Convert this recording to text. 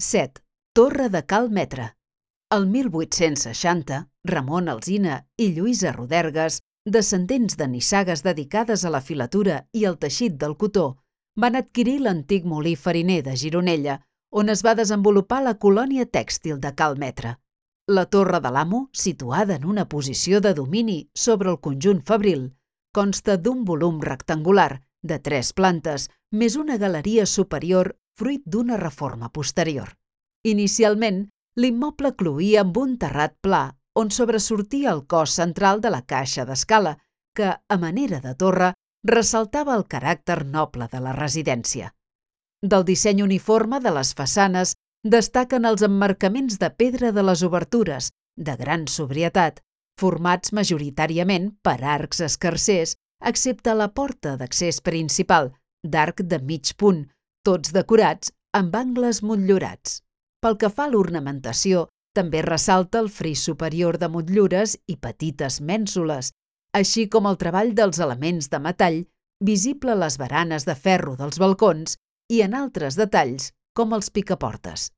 7. Torre de Cal Metre. El 1860, Ramon Alsina i Lluïsa Rodergues, descendents de nissagues dedicades a la filatura i al teixit del cotó, van adquirir l'antic molí fariner de Gironella, on es va desenvolupar la colònia tèxtil de Cal Metre. La Torre de l'Amo, situada en una posició de domini sobre el conjunt fabril, consta d'un volum rectangular de 3 plantes més una galeria superior fruit d'una reforma posterior. Inicialment, l'immoble cloïa amb un terrat pla on sobresortia el cos central de la caixa d'escala, que, a manera de torre, ressaltava el caràcter noble de la residència. Del disseny uniforme de les façanes destaquen els emmarcaments de pedra de les obertures, de gran sobrietat, formats majoritàriament per arcs escarsers, excepte la porta d'accés principal, d'arc de mig punt, tots decorats amb angles motllurats. Pel que fa a l'ornamentació, també ressalta el fris superior de motllures i petites mènsules, així com el treball dels elements de metall, visible a les baranes de ferro dels balcons i en altres detalls, com els picaportes.